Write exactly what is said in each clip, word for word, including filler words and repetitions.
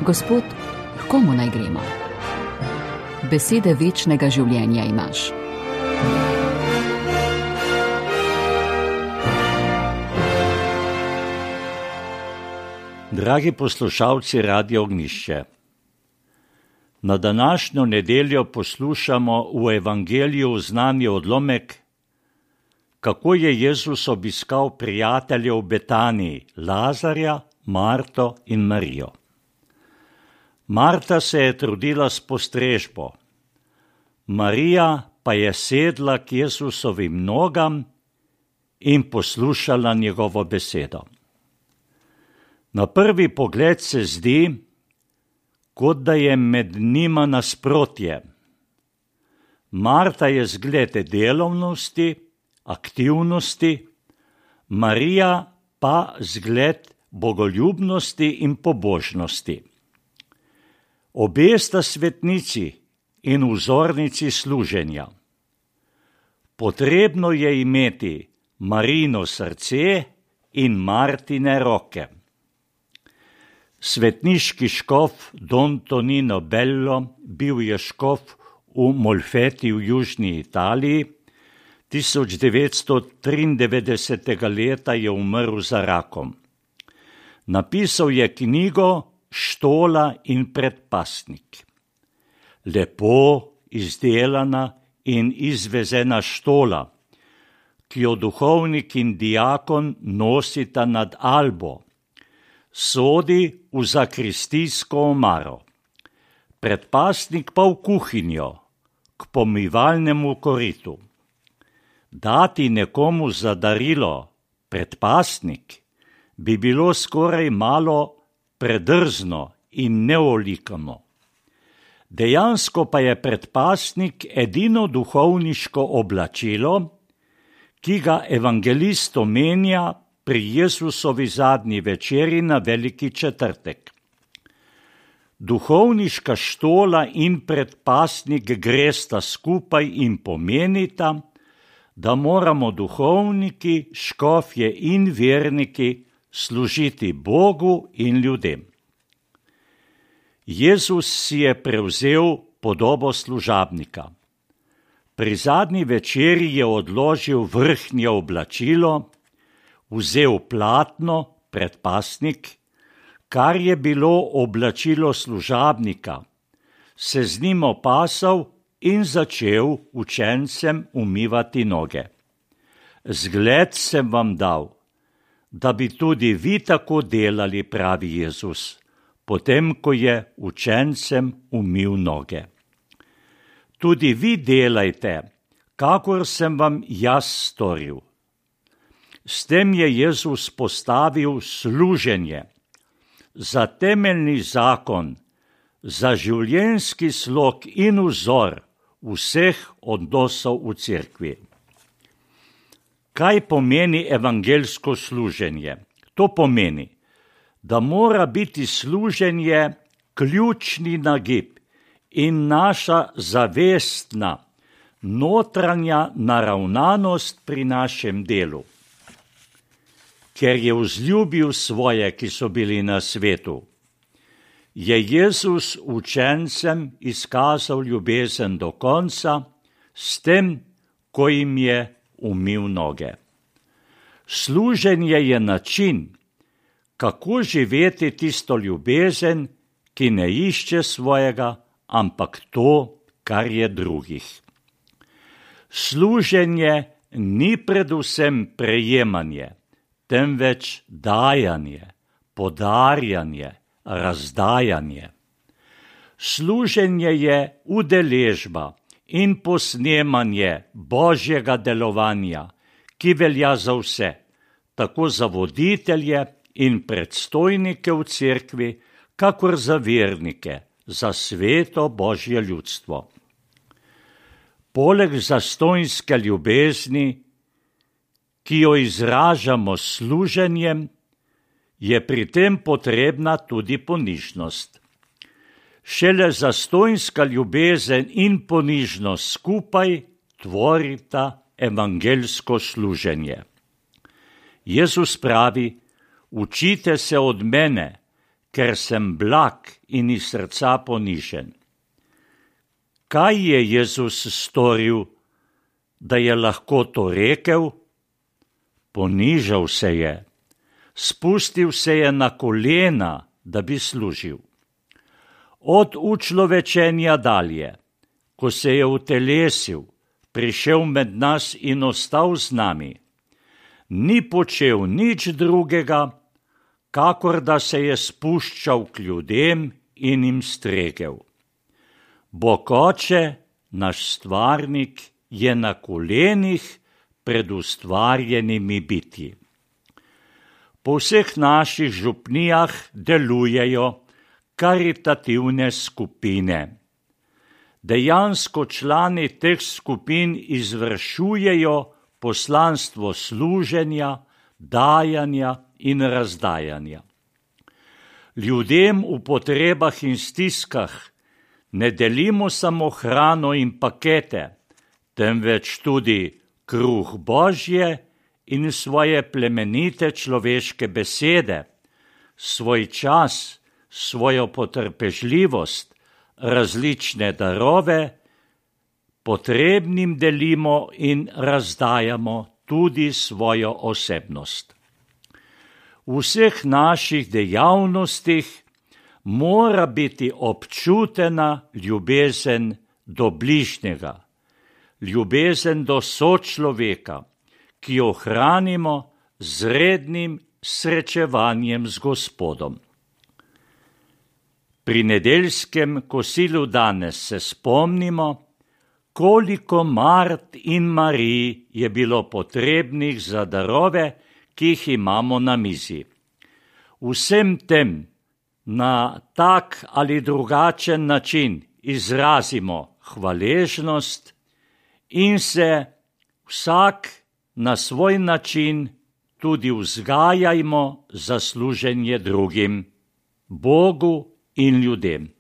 Gospod, komu naj gremo? Besede večnega življenja imaš. Dragi poslušalci Radia Ognjišče, na današnjo nedeljo poslušamo v Evangeliju znani odlomek, kako je Jezus obiskal prijatelje v Betaniji, Lazarja, Marto in Marijo. Marta se je trudila s postrežbo, Marija pa je sedla k Jezusovim nogam in poslušala njegovo besedo. Na prvi pogled se zdi, kot da je med njima nasprotje. Marta je zgled delovnosti, aktivnosti, Marija pa zgled bogoljubnosti in pobožnosti. Obe sta svetnici in vzornici služenja. Potrebno je imeti Marijino srce in Martine roke. Svetniški škof Don Tonino Bello bil je škof v Molfeti v južni Italiji, tisoč devetsto triindevetdesetega leta je umrl za rakom. Napisal je knjigo Štola in predpasnik. Lepo izdelana in izvezena štola, ki jo duhovnik in diakon nosita nad albo, sodi v zakristijsko omaro, predpasnik pa v kuhinjo, k pomivalnemu koritu. Dati nekomu za darilo predpasnik bi bilo skoraj malo predrzno in neolikano. Dejansko pa je predpasnik edino duhovniško oblačilo, ki ga evangelist omenja pri Jezusovi zadnji večeri na Veliki četrtek. Duhovniška štola in predpasnik gresta skupaj in pomenita, da moramo duhovniki, škofje in verniki služiti Bogu in ljudem. Jezus si je prevzel podobo služabnika. Pri zadnji večeri je odložil vrhnje oblačilo, vzel platno, predpasnik, kar je bilo oblačilo služabnika, se z njim opasal in začel učencem umivati noge. Zgled sem vam dal, da bi tudi vi tako delali, pravi Jezus, potem, ko je učencem umil noge. Tudi vi delajte, kakor sem vam jaz storil. S tem je Jezus postavil služenje za temeljni zakon, za življenjski slog in vzor vseh odnosov v cerkvi. Kaj pomeni evangelsko služenje? To pomeni, da mora biti služenje ključni nagib in naša zavestna, notranja naravnanost pri našem delu. Ker je vzljubil svoje, ki so bili na svetu, je Jezus učencem izkazal ljubezen do konca s tem, ko jim je umil noge. Služenje je način, kako živeti tisto ljubezen, ki ne išče svojega, ampak to, kar je drugih. Služenje ni predvsem prejemanje, temveč dajanje, podarjanje, razdajanje. Služenje je udeležba in posnemanje Božjega delovanja, ki velja za vse, tako za voditelje in predstojnike v cerkvi, kakor za vernike, za sveto Božje ljudstvo. Poleg zastonjske ljubezni, ki jo izražamo s služenjem, je pri tem potrebna tudi ponižnost. Šele zastonjska ljubezen in ponižnost skupaj tvorita evangelsko služenje. Jezus pravi, učite se od mene, ker sem blag in iz srca ponižen. Kaj je Jezus storil, da je lahko to rekel? Ponižal se je, spustil se je na kolena, da bi služil. Od učlovečenja dalje, ko se je utelesil, prišel med nas in ostal z nami, ni počel nič drugega, kakor da se je spuščal k ljudem in jim stregel. Bog Oče, naš stvarnik, je na kolenih pred ustvarjenimi bitji. Po vseh naših župnijah delujejo karitativne skupine. Dejansko člani teh skupin izvršujejo poslanstvo služenja, dajanja in razdajanja. Ljudem v potrebah in stiskah ne delimo samo hrano in pakete, temveč tudi kruh Božje in svoje plemenite človeške besede, svoj čas, svojo potrpežljivost, različne darove, potrebnim delimo in razdajamo tudi svojo osebnost. V vseh naših dejavnostih mora biti občutena ljubezen do bližnjega, ljubezen do sočloveka, ki jo hranimo z rednim srečevanjem z Gospodom. Pri nedeljskem kosilu danes se spomnimo, koliko Mart in Marij je bilo potrebnih za darove, ki jih imamo na mizi. Vsem tem na tak ali drugačen način izrazimo hvaležnost in se vsak na svoj način tudi vzgajajmo za služenje drugim, Bogu in ljudem.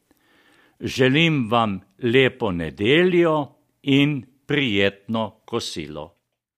Želim vam lepo nedeljo in prijetno kosilo.